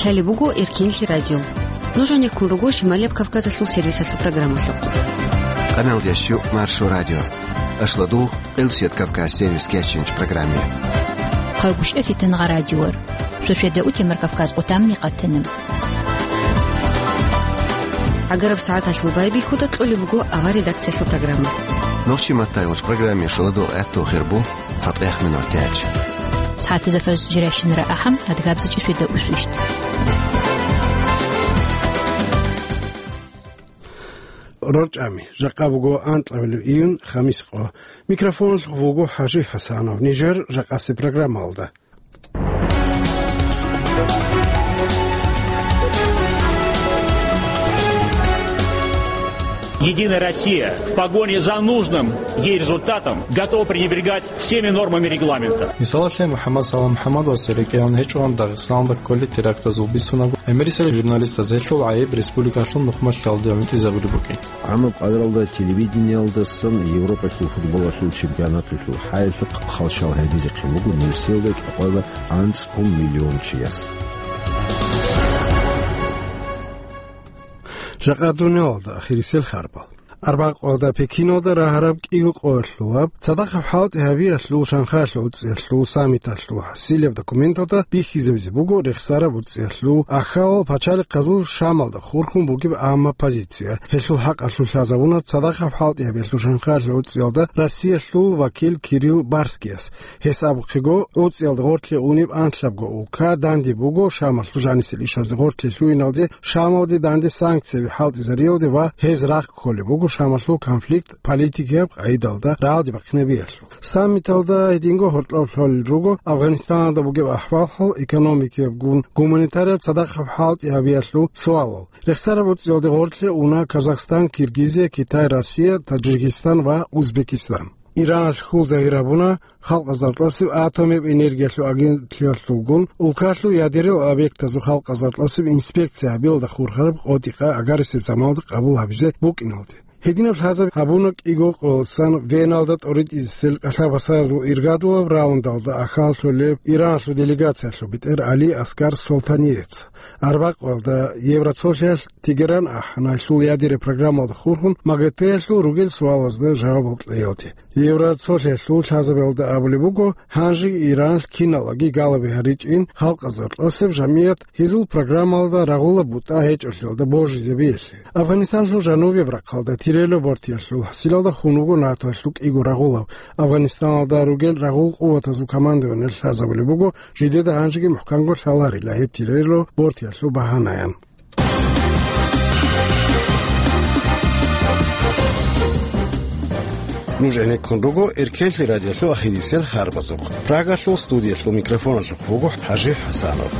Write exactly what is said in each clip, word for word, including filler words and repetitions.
Лъалеб буго Эркенлъи радио. Нуж гьанеккун руго Шималияб Кавказалъул сервисалъул программалъухъ. Къаналда щу Маршо радио. Ашладугъ, Къилсият Кавказ сервис кечинч программе. Хъайгъушъа фитангъа радиор. Шошеда утемар Кавказ отамни къатана. ГӀагараб сагӀаталъул байбихьуда кьолеб буго авар редакциялъул программа. Нохчи маттайгъулъ программе шуладугъ гӀатту хирбу. ЦатӀех минутач. СагӀатазда фаз жирайщинара ахӀам, адгабзичӀи сведа усвищт. РорчӀами, жакъа буго анкьабилеб июнь, хамис къо. Микрофоналъухъ вуго ХӀажи ХӀасанов. Нижер жакъасе программалда. Единая Россия в погоне за нужным ей результатом готова пренебрегать всеми нормами регламента. Мисалалъе, МухӀаммад Салам МухӀаммадовасе рекӀелъ гьечӀогӀан Дагъистаналда кколел терактазул бицунаго, гӀемерисел журналистаз гьелъул гӀайиб республикалъул нухмалъалде гӀунтӀизабулеб букӀин. ГӀамаб къадралда телевидениялдасан Европалъул футболалъул чемпионаталъул хӀайилъухъ хал щал гьабизехъин буго нугӀсиялда кӀикъоялда анцӀ миллион чияс. Жакъа дуниялалда ахирисел харбал. Арбякъоялда Пекиналда рагьараб кӀиго къоялъулаб цадахъаб хӀалтӀи гьабиялъул Шанхайлъул уцӀиялъул саммиталъул хӀасилаб документалда бихьизабизе буго рехсараб уцӀиялъул ахьалал пачалихъазул Шамалда хурхун бугеб амма позиция. Гьелъул хӀакъалъулъ лъазабуна цадахъаб хӀалтӀи гьабиялъул Шанхайлъул уцӀиялда Россиялъул вакил Кирилл Барскияс. Гьес абухъего, уцӀиялда гъорлъе унеб анлъабго улка данде буго Шамалъул жанисел ишазе гъорлъе лъугьиналде, Шамалде данде санкцияби хӀалтӀизариялде ва гьез рахъ кколеб буго Шамалъул конфликт политикияб къагӀидалда рагӀалде бахъинабиялъул. Саммиталда гьединго гьоркьоб лъолел руго Афганистаналда бугеб ахӀвал-хӀал, экономикиябгун гуманитарияб цадахъаб хӀалтӀи гьабиялъул суалал. Рехсараб уцӀиялде гъорлъе уна Казахстан, Киргизия, Китай, Россия, Таджикистан ва Узбекистан. Иран хьул загьир гьабуна халкъазда кьосеб атомияб энергиялъул агентлъиялъулгун улкалъул ядерал объектазул халкъазда кьосеб инспекция гьабиялда хурхараб къотӀи-къа агарисеб заманалда къабул гьабизе букӀиналде. Гьединаб лъазаб гьабуна кӀиго къоялдасан Веналда тӀоритӀисел кӀалъа-басаязул иргадулаб раундалда ахьаллъулеб Иранлъул делегациялъул бетӀер Али Аскар Солтаниец. Арбякъоялда Евроцолъиялъ Тегеран ахӀана гьелъул ядерный программалда хурхун МАГАТЭ-ялъул ругел суалазда жавабал кьеялде. Евроцолъиялъул лъазабиялда абулеб буго, гьанжеги Иранлъ киналги галаби гьаричӀин халкъазда кьосеб жамият гьезул программалда рагъулаб бутӀа гьечӀолъиялда божизабиялъе. Афганистанлъул жанубияб рахъалда Тирело бортиялъул хӀасилалда хун вуго НАТОялъул кӀиго рагъулаб. Афганистаналда ругел рагъул къуватазул командованиялъ лъазабулеб буго, жидеда гьанжеги мухӀканго лъаларила гьеб Тирело бортиялъул багьанаян. Нуж гӀенеккун руго Эркенлъи радиолъул ахирисел харбазухъ. Прагалъул студиялъул микрофоналъухъ вуго ХӀажи ХӀасанов.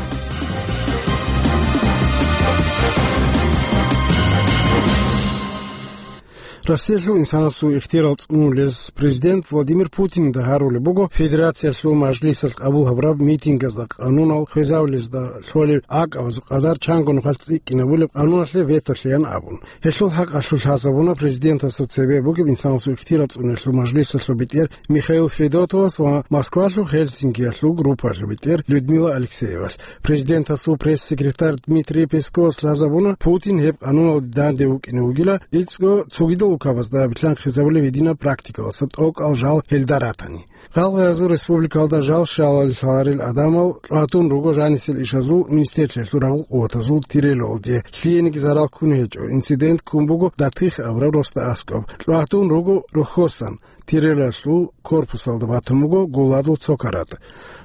Россиялъул инсанасул ихтияр цӀунулез президент Владимир Путинда гьарулеб буго Федерациялъул Мажлисалъ къабул гьабураб митингазда къанунал хвезавулезда лъолеб гӀакъабазул къадар чанго нухалъ цӀикӀкӀинабулеб къануналъе вето лъеян абун. Гьелъул хӀакъалъулъ лъазабуна президентасда цебе бугеб инсанасул ихтияр цӀунулъул Мажлисалъул бетӀер Михаил Федотовас ва Москвалъул Хельсинкиялъул группаялъул бетӀер Людмила Алексеевалъ. Президентасул пресс-секретарь Дмитрий Песковас лъазабуна, Путин гьеб къануналде данде вукӀине вугила, илцӀго цогидал улкабазда билълъанхъизабулеб гьединаб практикалъуса тӀокӀал жал гьелда ратани. Гъалгъазул республикалда жал щалалел гьарил гӀадамал лъугьатун руго жанисел ишазул министрлъиялъул рагъул къуватазул Тирелоялде. Лъиениги зарал ккун гьечӀо. Инцидент ккун буго ДатӀих абураб росда аскӀоб. Лъугьатун руго рохьосан. Тирелалъул корпусалда батун буго гуладул цо каратӀ.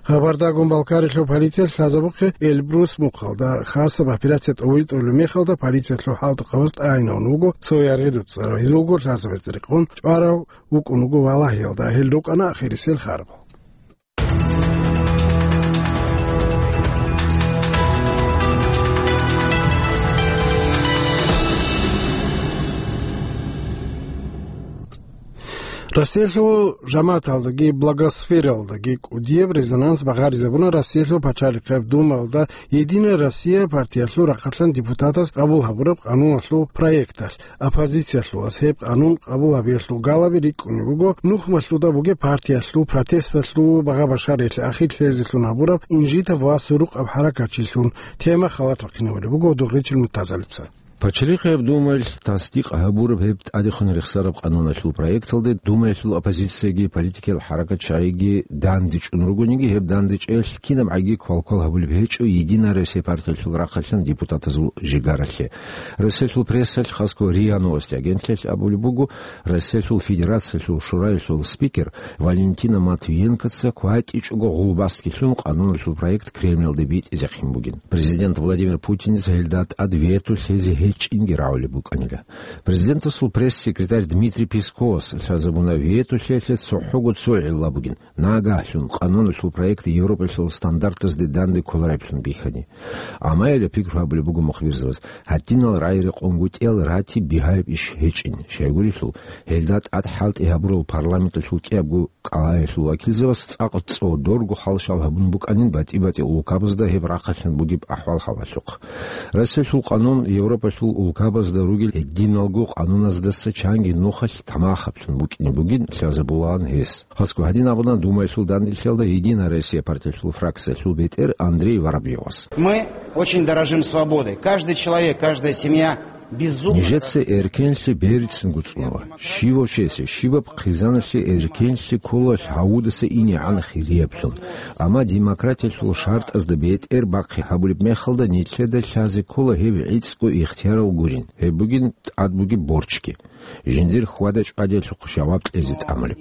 Хабардагун Балкарилъул полициялъ лъазабухъе Эльбрус мухъалда хасаб операция тӀобитӀулеб мехалда полициялъул хӀалтӀухъабаз тӀагӀинавун вуго цо яргъи дуцӀарав, гьезулго лъазабазе рекъон чӀварав вукӀун вуго валагьиялда, гьел рукӀана ахирисел харбал. Россиялъул жамагӀаталдаги благосфералдаги кӀудияб резонанс багъаризабуна Россиялъул пачалихъеб Думаялда «Единая Россия» партиялъул рахъалъан депутатас къабул гьабураб къануналъул проекталъ. Оппозициялъулас гьеб къанун къабул гьабиялъул галаби рикӀкӀунеб буго нухмалъуда бугеб партиялъул протесталъул багъа-башариялъе ахир лъезелъун гьабураб инжитаб ва сурукъаб хӀаракатчилъун. Тема халат бахъинабулеб буго Дугъричил Муртазалица. Пачалихъияб Думаялъ тасдикъ гьабураб гьеб тӀадехун рехсараб къануналъул проекталде Думаялъул оппозицияги политикиял хӀаракатчагӀиги дандечӀун ругониги, гьеб дандечӀелъ кинаб гӀаги квалквал гьабулеб гьечӀо «Единая Россия» партиялъул рахъалъан депутатазул жигаралъе. Россиялъул прессалъ, хасго РИА Новости агентлъиялъ абулеб буго, Россиялъул Федерациялъул Шураялъул спикер Валентина Матвиенкоца кватӀичӀого гъулбаскилъун къануналъул проект Кремльалде битӀизехъин бугин. Президент Владимир Путинец гьелда тӀад вето лъезе гьечӀинги рагӀулеб букӀанила. Президентасул пресс-секретарь Дмитрий Песковас лъазабуна вето лъеялъе цохӀого цо гӀилла бугин: нагагьлъун къануналъул проект Европалъул стандартазде данде кколареблъун бихьани. Амма гьеле пикру гьабулеб буго мухбирзабаз, гьадинал рагӀи-рекъон гутӀиял ратиб бигьаяб иш гьечӀин, щайгурелъул, гьелда тӀад хӀалтӀи гьабурал парламенталъул кӀиябго кӀалаялъул вакилзабаз цӀакъ цӀодорго халшал гьабун букӀанин батӀи-батӀи улкабазда гьеб рахъалъан бугеб ахӀвал-хӀалалъухъ. Россиялъул къанун Европалъул улкабазда ругел гьединалго къануназдаса чанги нухалъ тамахаблъун букӀине бугин лъазабулаан гьес. Хасго гьадин абуна Думаялъул данделъиялда «Единая Россия» партиялъул фракциялъул бетӀер Андрей Воробьёвас. Мы очень дорожим свободой. Каждый человек, каждая семья безумно... Нижеца эркенлъи берцинго цӀунула. Щивав чиясе, щибаб хъизаналъе эркенлъи ккола гьавудаса инегӀан хирияблъун. Амма демократиялъул шартӀазда бетӀер бахъи гьабулеб мехалда, нилъеда лъазе ккола гьеб гӀицӀго ихтиярал гурин, гьеб бугин тӀад бугеб борчги. Жиндир хьвада-чӀвадиялъухъ жаваб кьезе тӀамулеб.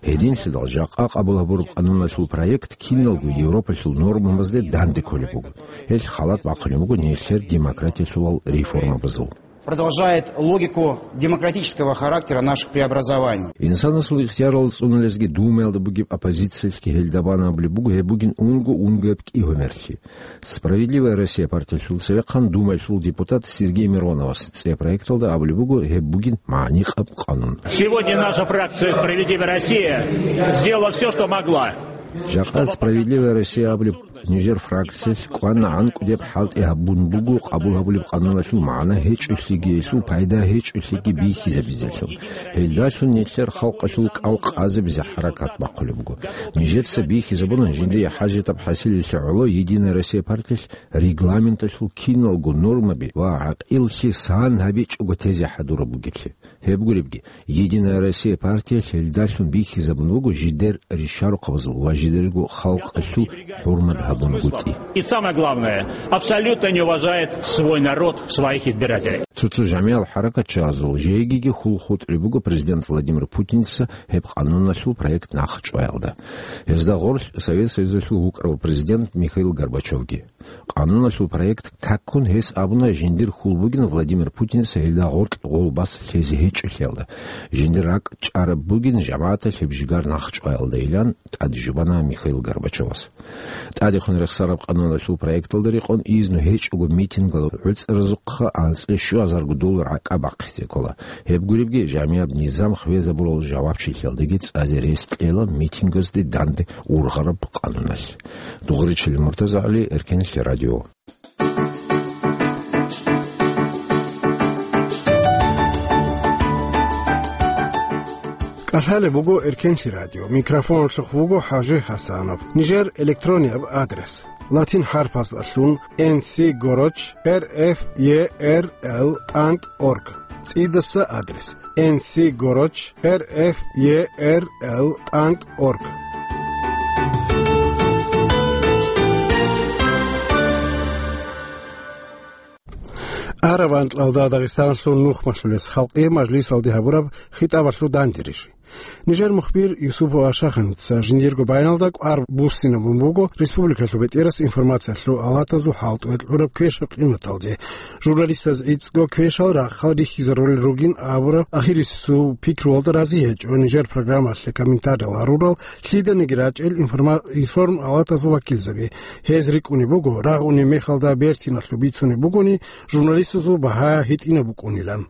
Гьединлъидал жакъа къабул гьабураб къануналъул проект киналго Европалъул нормабазде данде кколеб буго. Гьелъ халат бахъулеб буго нилъер демократиялъулал реформабазул. Продолжает логику демократического характера наших преобразований. Инсанасул ихтиярал цӀунулезги Думаялда бугеб оппозициялъги гьелда бан абулеб буго, гьеб бугин унго-унгояб кӀигьумерлъи. «Справедливая Россия» партиялъул цевехъан Думаялъул депутат Сергей Мироновас цӀе проекталда абулеб буго, гьеб бугин магӀникъаб къанун. Сегодня наша фракция «Справедливая Россия» сделала все, что могла. Жакъа «Справедливая Россия» абулеб нижер фракциялъ кӀванагӀан кӀудеб хӀалтӀи гьабун буго къабул гьабулеб къануналъул магӀна гьечӀолъиги, гьелъул пайда гьечӀолъиги бихьизабизелъул. Гьелдалъун нилъер халкъалъул кӀал къазабизе хӀаракат бахъулеб буго. Нижеца бихьизабуна жиндие хӀажатаб хӀасилелъе гӀоло «Единая Россия» партиялъ регламенталъул киналго нормаби ва гӀакъиллъи сан гьабичӀого тезе хӀадураб бугеблъи. Гьеб гуребги, «Единая Россия» партиялъ гьелдалъун бихьизабун буго жидер ришарухъабазул ва жидерго халкъалъул хӀурмат гьабунгутӀи. И самое главное, абсолютно не уважает свой народ, своих избирателей. Цо-цо жамигӀал хӀаракатчагӀазул жегиги хьул хутӀулеб буго президент Владимир Путинца гьеб къануналъул проект нахъчӀваялда. Гьезда гъорлъ Совет Союзалъул вукӀарав президент Михаил Горбачевги. Къануналъул проект какун гьес абуна жиндир хьул бугин Владимир Путинца гьелда гъоркь гъолбас лъезе гьечӀолъиялда, жиндир ракӀ чӀараб бугин жамагӀаталъ гьеб жигар нахъчӀваялдайилан тӀаде жубана Михаил Горбачевас. ТӀадехун рехсараб къануналъул проекталда рекъон изну гьечӀого митингал гӀуцӀаразухъа анцӀила щуазарго доллар гӀакъа бахъизе ккола. Гьеб гуребги, жамигӀаб низам хвезабурал жавабчилъиялдаги цӀазе рес кьела митингазде данде ургъараб къануналъ. Дугъричил МуртазагӀали, Эркенлъи радио. КӀалъалеб буго Эркенлъи радио. Микрофоналъухъ вуго ХӀажи ХӀасанов. Нижер электронияб адрес: латин хӀарпаздалъун N C горочь R F E R L тӀанкӀ орг. ЦӀидаса адрес: N C горочь R F E R L тӀанкӀ орг. Араб анкьалда Дагъистаналъул нухмалъулес халкъие мажлисалде гьабураб хитӀабалъул дандерижи. Нижер мухбир Юсупов Ашаханица жиндирго баяналда кӀвар буссинабун буго республикалъул бетӀерас информациялъул алатазул хӀалтӀуе кьураб квешаб къиматалде. Журналистаз гӀицӀго квешал рахъал рихьизарулел ругин абураб ахирисул пикруялда рази гьечӀо нижер программалъе комментариял гьарурал лъиданиги рачӀел информа-, информ алатазул вакилзаби. Гьез рикӀкӀунеб буго, рагъунеб мехалда бертиналъуб бицунеб бугони, журналистазул багьа гьитӀинаб букӀунилан.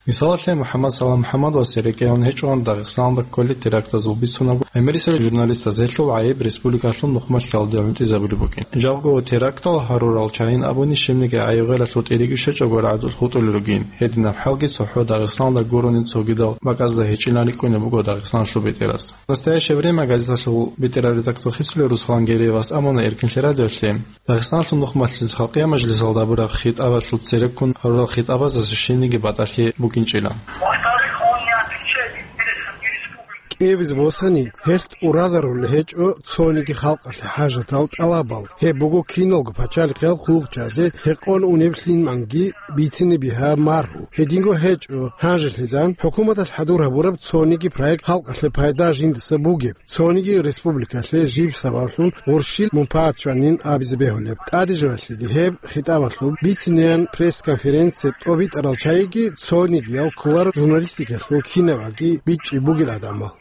Мисалалъе, МухӀаммад Салам МухӀаммадовасе рекӀелъун гьечӀоан Дагъистаналда кколел терактазул бицунаго, гӀемерисел журналистаз гьелъул гӀайиб республикалъул нухмалъиялде гӀунтӀизабулеб букӀин. Жакъго терактал гьарурал чагӀи абуни щибниги гӀайиб гъералъул тӀирги щвечӀого рагӀдулъ хутӀулел ругин. Гьединаб хӀалги цохӀо Дагъистаналда гурони цогидал бакӀазда гьечӀилан рикӀкӀунеб буго Дагъистаналъул бетӀерас. «Настоящее время» газеталъул бетӀерав редактор хисулев Руслан Гереевас абуна Эркинлъи радиолъе, Дагъистаналъул нухмалъиялъ халкъиял мажлисалда гьабураб хитӀабалъул цереккун гьарурал хитӀабазаса щибниги батӀалъи букӀинчӀила. Во-вторых, он не отвечает интересам республики. КӀиабизе босани, гьелъ тӀуразарулел гьечӀо цониги халкъалъе хӀажатал тӀалабал. Гьеб буго киналго пачалихъал хъулухъчазе гьекъон унеб лъиманги бицине бигьа маргьу. Гьединго гьечӀо, гьанжелъизан хӀукуматалъ хӀадур гьабураб цониги проект халкъалъе пайда жиндаса бугеб. Цониги республикалъе жиб сабаблъун гъурщил мунпагӀат чванин абизе бегьулеб. ТӀаде жоялъеги гьеб хитӀабалъул бицинеян пресс-конференция тӀобитӀарал чагӀиги цонигиял кколаро журналистикалъул кинабаги бичӀчӀи бугел гӀадамал.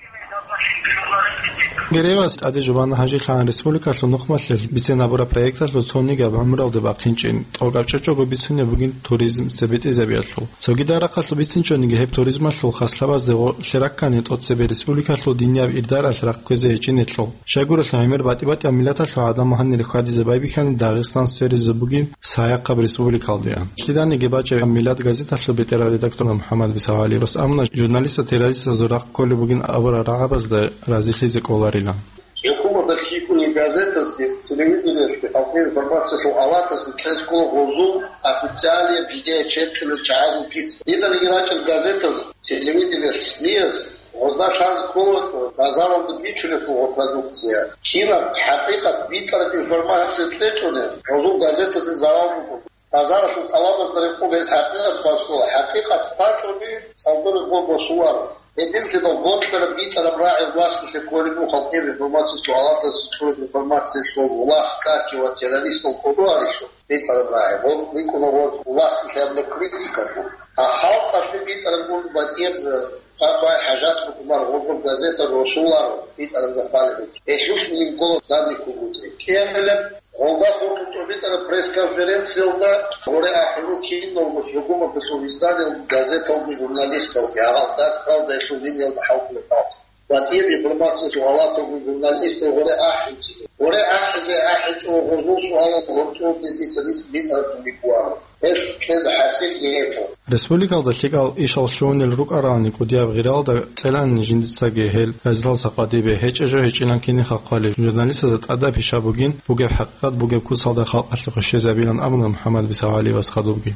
Гереевас тӀаде жубана гьанжелъагӀан республикалъул нухмалъиялъ бицен гьабураб проекталъул цонигаб гӀумралде бахъинчӀин, тӀокӀаб чӀечӀого бицунеб бугин туризм цебетӀезабиялъул. Цогидал рахъалъ бицинчӀониги гьеб туризмалъул хаслъабазде гъоркье раккани тӀоцебе республикалъул динияб ирдаралъ рахъ кквезе гьечӀинелъул. Щайгурелъул гӀемер батӀи-батӀияб миллаталъул гӀадамал гьанир хьвадизе байбихьани Дагъистан сверизаб бугин Саяхъаб республикалдеян. Лъиданиги бачӀа миллат газеталъул бетӀерав редактор МухӀаммад Бисагьалиевас абуна, журналистаз террористазул рахъ кколеб бугин абурал рагӀабазда разилъизе кӀоларила. ХӀукуматалъ хьикъуни газетазги, телевидениялъги халкъе информациялъул алатазги кьезе ккола гъозул официальный видеочеркилел чагӀазул пицӀ. Диданиги рачӀел газетаз, телевидениялъ, СМИяз гъозда лъазе ккола базаралда бичулеб гъо продукция. Кинаб хӀакъикъат битӀараб информация кьечӀони, гъозул газетазе зарал буго. Базаралъул тӀалабазда рекъон гьез хӀакъикъат босула, хӀакъикъат бачӀони, цӀалдореб гъо босуларо. Гьединлъидал бокьараб битӀараб рагӀи власталъе кколеб буго халкъияб информациялъул алатазе кьураб информациялъул власть каки ва террористал кӀодо гьарилъул битӀараб рагӀи. Гъоб бикӀуна гъоз власталъе гьабулеб критикалъул. А халкъалъе битӀараб гун батӀияб, э, къвай хӀажат букӀунар гъозул газета росуларо битӀараб захъалеб. Гьелъулъ мин ккола данни ккугутӀи. КӀиабилеб Гъолда хутӀун тӀубитӀараб пресс-конференциялда гъоре ахӀулел киналго гьукуматалъул изданиялги газеталги журналисталги гьагъал дагь-хъалдаялъул линиялда хӀалтӀулеб халкъ. БатӀияб информациялъул алаталги журналистал гъоре ахӀинцин. Гъоре ахӀизе ахӀичӀо гъозул суалал гьоркьоблъи дица рицӀ битӀараб бугеб бугеб. Гьелъ кьезе хӀасилги гьечӀо. Республикалда лъикӀал ишал лъугьунел рукӀаралани кӀудияб гъиралда кьелани жиндицаги гьел газеталдаса къватӀибе, гьечӀеб жо гьечӀилан кинихъа хъвалеб, журналистазда тӀадаб пиша бугин, бугеб хӀакъикъат бугеб куцалда халкъалъе хвешезабилан абуна МухӀаммад Бисагьалиевас хадубги.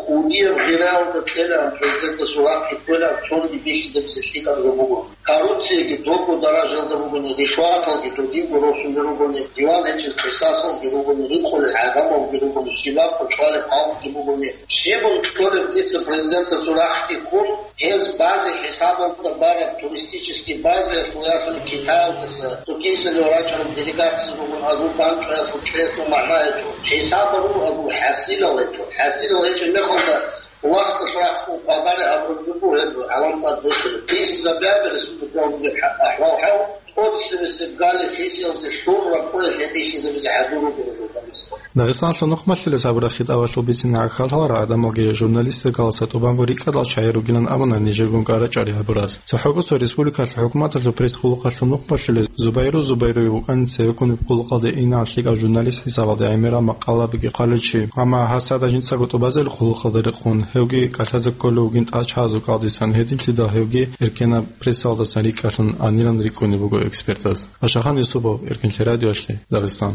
КӀудияб гъиралда кьелан президентасул рахъги ккелан цониги бихьизабизе лъикӀаб жо буго. Коррупцияги дого даражаялда бугони, ришваталги додинго росулел ругони, диван гьечӀел къисасалги ругони, рикъулел гӀадамалги ругони, щибаб къо чӀвалеб халкъги бугони, щибун кьолеб дица президентасул рахъги ккун, гьез базе хӀисабалда бараб туристический базаялъул ясулеб Китаялдаса цо киселев рачӀараб делегация ругони, азул бан чӀваялъул кьеялъул магӀна гьечӀо. ХӀисаб гьабун азул хӀасилал гьечӀо. ХӀасилал гьечӀеб мехалда, власталъ рахъун къвадареб гьабураб буго гьеб гӀалам тӀад босулеб. Хисизабиаби республикалда бугеб ахӀвал-хӀал, тӀоцебесеб гали хисиялде щураб къоялъ гьеб бихьизабизе хӀадур руго журналистал. Дагъистаналъул нухмалъилес гьабураб хитӀабалъул бицин гӀахьаллъарал гӀадамалги журналистикаласа тӀубанго рикӀкӀадал чагӀи ругилан абуна нижерго кӀарачӀари гьабураз. ЦохӀо кӀусо республикалъул хӀукуматалъул пресс-къулухъалъул нухмалъилес Зубайру Зубайруев вукӀана цевеккунеб къулухъалде инал лъикӀав журналист хӀисабалде гӀемерал макъалабиги хъваличи, амма гьасда жинцаго тӀубазел къулухъалда рекъон, гьевги кӀалъазе кколев вугин тӀачагӀазул кӀалдисан, гьединлъидал гьевги эркенаб прессалдасан рикӀкӀалъун анилан рикӀкӀунеб буго экспертаз. Ашахан Юсупов, Эркинлъи радиолъи, Дагъистан.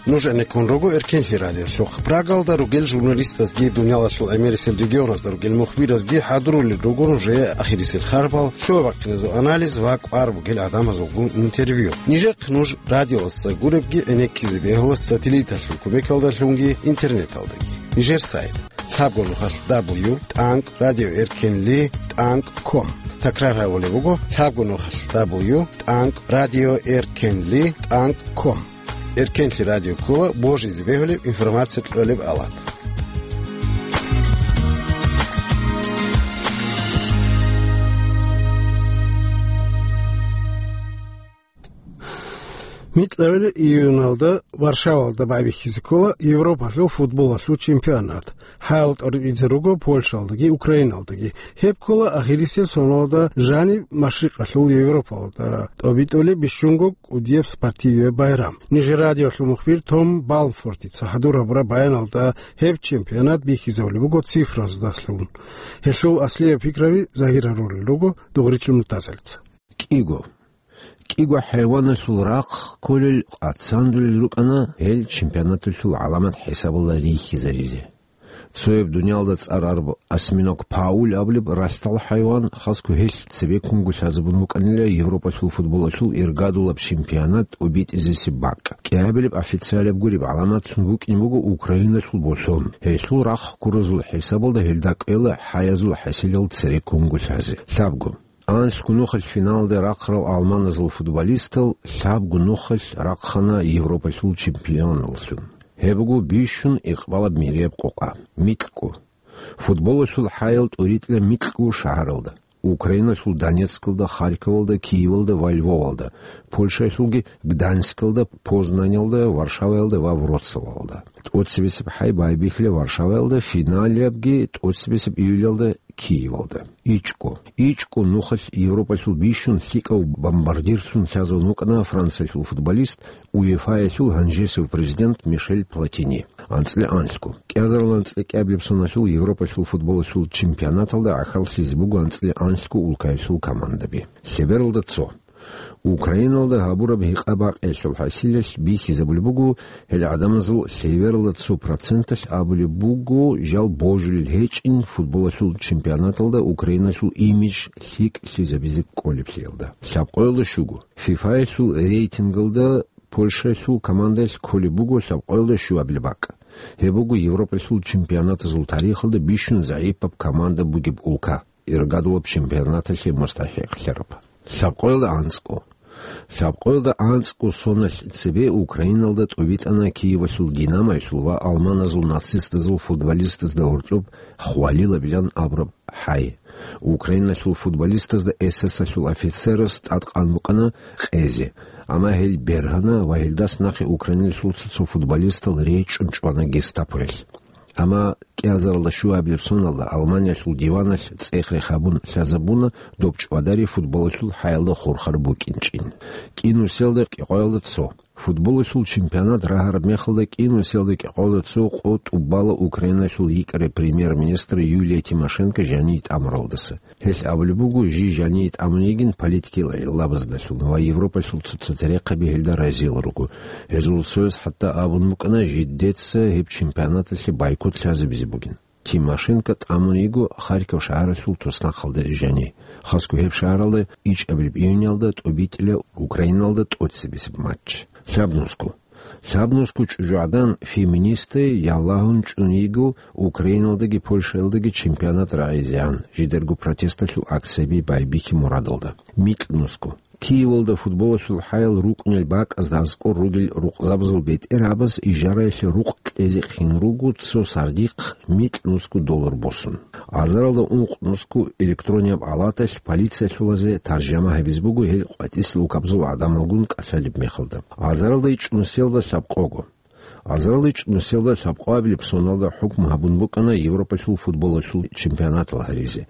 Нуж гӀенеккун руго Эркинлъи радиолъухъ. Прагалда ругел журналистазги дуниялалъул гӀемерисел регионазда ругел мухбиразги хӀадурулел руго нужее ахирисел харбал, лъугьа-бахъиназул анализ ва кӀвар бугел гӀадамазулгун интервью. Нижехъ нуж радиоялдаса гуребги гӀенеккизе бегьула сателлиталъул кумекалдалъунги интернеталдаги. Нижер сайт: лъабго нухалъ дабл ю тӀанкӀ радио эркенли тӀанкӀ ком. Такрар гьабулеб буго: лъабго нухалъ дабл ю тӀанкӀ радио эркенли тӀанкӀ ком. Эркенлъи радио ккола божизе бегьулеб информация кьолеб алат. Микьабилеб июналда Варшавалда байбихьизе ккола Европалъул футболалъул чемпионат. ХӀаял тӀоритӀизе руго Польшалдаги Украиналдаги. Гьеб ккола ахирисел соналда жаниб Машрикъалъул Европалда тӀобитӀулеб бищунго кӀудияб спортивияб байрам. Нижер радиолъул мухбир Том Балмфортица хӀадур гьабураб баяналда гьеб чемпионат бихьизабулеб буго цифраздаслъун. Гьелъул аслияб пикраби загьир гьарулел руго Дугъричил Муртазалица. КӀиго. КӀиго хӀайваналъул рахъ кколел къацандулел рукӀана гьел чемпионаталъул гӀаламат хӀисабалда рихьизаризе. Цояб дуниялда цӀар араб осьминог Пауль абулеб ралъдал хӀайван, хасго гьелъ цебеккунго лъазабун букӀанила Европалъул футболалъул иргадулаб чемпионат тӀобитӀизесеб бакӀ. КӀиабилеб официалаб гуреб гӀаламатлъун букӀин буго Украиналъул болъон. Гьелъул рахъ ккуразул хӀисабалда гьелда кӀвела хӀаязул хӀасилал цереккунго лъазе. Лъабго. Анлъго нухалъ финалде рахъарал алманазул футболистал лъабго нухалъ рахъана Европалъул чемпионаллъун. Гьеб буго бищун икъбалаб мирияб къокъа. МикьгӀу. Футболалъул хӀаял тӀуритӀила микьгӀу шагьаралда. Украиналъул Донецкалда, Харьковалда, Киевалда ва Львовалда, Польшаялъулги Гданьскалда, Познанялда, Варшаваялда ва Вроцлавалда. ТӀоцебесеб хӀай байбихьила Варшаваялда, финалиябги тӀоцебесеб июлялда Киевалда. ИчӀго. ИчӀго нухалъ Европалъул бищун лъикӀав бомбардирлъун лъазавун вукӀана Франциялъул футболист, УЕФАялъул гьанжесев президент Мишель Платини. АнцӀила анлъго. КӀиазарал анцӀила кӀиабилеб соналъул Европалъул футболалъул чемпионаталда гӀахьаллъизе буго анцӀила анлъго улкаялъул командаби. Лъебералда цо. Украиналда гьабураб гьикъа-бакъиялъул хӀасилалъ бихьизабулеб буго, гьел гӀадамазул лъебералда цо проценталъ абулеб буго жал божулел гьечӀин футболалъул чемпионаталда Украиналъул имидж лъикӀлъизабизе кӀолеблъиялда. Лъабкъоялда щуго. ФИФАялъул рейтингалда Польшаялъул командаялъ кколеб буго лъабкъоялда щуабилеб бакӀ. Гьеб буго Европалъул чемпионатазул тарихалда бищун загӀипаб команда бугеб улка. Иргадулаб чемпионаталъе мустахӀикълъараб. Лъабкъоялда анцӀго. Лъабкъоялда анцӀго соналъ цебе Украиналда тӀубитӀана Киевалъул Динамоялъул ва алманазул нацистазул футболистазда гьоркьоб хвалилабилан абураб хӀай. Украиналъул футболистазда эсэсалъул офицерас тӀадкъан букӀана къезе, амма гьел бергьана ва гьелдас нахъе Украиналъул цо-цо футболистал речӀчӀун чӀвана гестапоялъ. Амма кӀиазаралда щуабилеб соналда Алманиялъул диваналъ цӀех-рех гьабун лъазабуна доб чӀвадари футболалъул хӀаялда хурхар букӀинчӀин. КӀинусиялда кӀикъоялда цо. Футболалъул чемпионат рагьараб мехалда кӀинусиялда кӀикъоялда цо къо тӀубала Украиналъул йикӀараб премьер-министр Юлия Тимошенко жанив тӀамуралдаса. Гьелъ абулеб буго, жий жанив тӀамун йигин политикиял гӀиллабаздалъун ва Европалъул цо-цо терехъаби гьелда разил руго. Гьезул цояс хӀатта абун букӀана, жидеца гьеб чемпионаталъе бойкот лъазабизе бугин. Тимошенко тӀамун йиго Харьков шагьаралъул туснахъалда жани. Хасго гьеб шагьаралда ичӀабилеб июньалда тӀубитӀила Украиналда тӀоцебесеб матч. Лъабнусго. Лъабнусго чӀужугӀадан феминистей ялагьун чӀун йиго Украиналдаги Польшаялдаги чемпионат рагӀизегӀан, жидерго протесталъул акцияби байбихьи мурадалда. Микьнусго. Киевалда футболалъул хӀаял рукӀунел бакӀазда аскӀор ругел рукъзабазул бетӀергьабаз ижараялъе рукъ кьезе хъин руго цо сардихъ микьнусго доллар босун. Азаралда ункънусго электронияб палаталъ полициялъулазе таржама гьабизе буго гьел къватӀисел вукабазул гӀадамалгун кӀалъалеб мехалда. Азаралда ичӀнусиялда лъабкъого. Азаралда ичӀнусиялда лъабкъоабилеб соналда хӀукму гьабун букӀана Европалъул футболалъул чемпионатал гьаризе.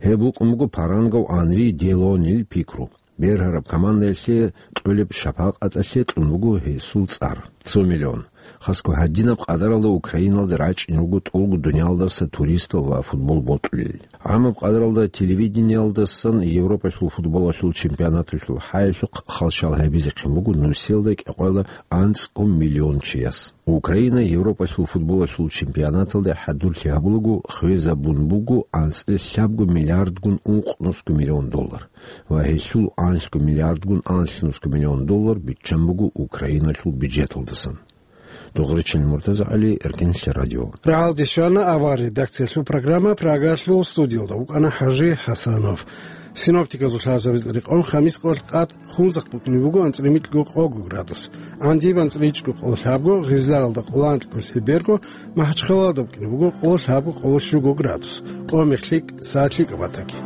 Гьеб букӀун буго парангав Анри Делонил пикру. Бергьараб командаялъе кьолеб шапакъаталъе кьун буго гьесул цӀар. Цо миллион. Хасго гьадинаб къадаралда Украиналда рачӀин руго тӀолго дуниялдаса туристал ва футбол бокьулел. ГӀамаб къадаралда телевидениялдасан Европалъул футболалъул чемпионаталъул хӀаялъухъ халщал гьабизехъин буго нусиялда кӀикъоялда анцӀго миллион чияс. Украина Европалъул футболалъул чемпионаталда хӀадурлъи гьабулаго хвезабун буго анцӀила лъабго миллиардгун ункънусго миллион доллар ва гьелъул анлъго миллиардгун анлънусго миллион доллар биччан буго Украиналъул бюджеталдасан. Дугъричил Муртазагьали, Эркенлъи радио. РагӀалде щвана авар редакциялъул программа, Прагалъул студиялда вукӀана ХӀажи ХӀасанов. Синоптиказул лъазабиз рекъон хамис къолъ къад Хунзахъ букӀине буго анцӀила микьго къого градус, ГӀандиб анцӀила ичӀго къоло лъабго, Гъизларалда къоло анкьго лъеберго, МахӀачхъалалда букӀине буго къоло лъабго къоло щуго градус. Къо мех лъикӀ, сагӀат лъикӀаб батаги.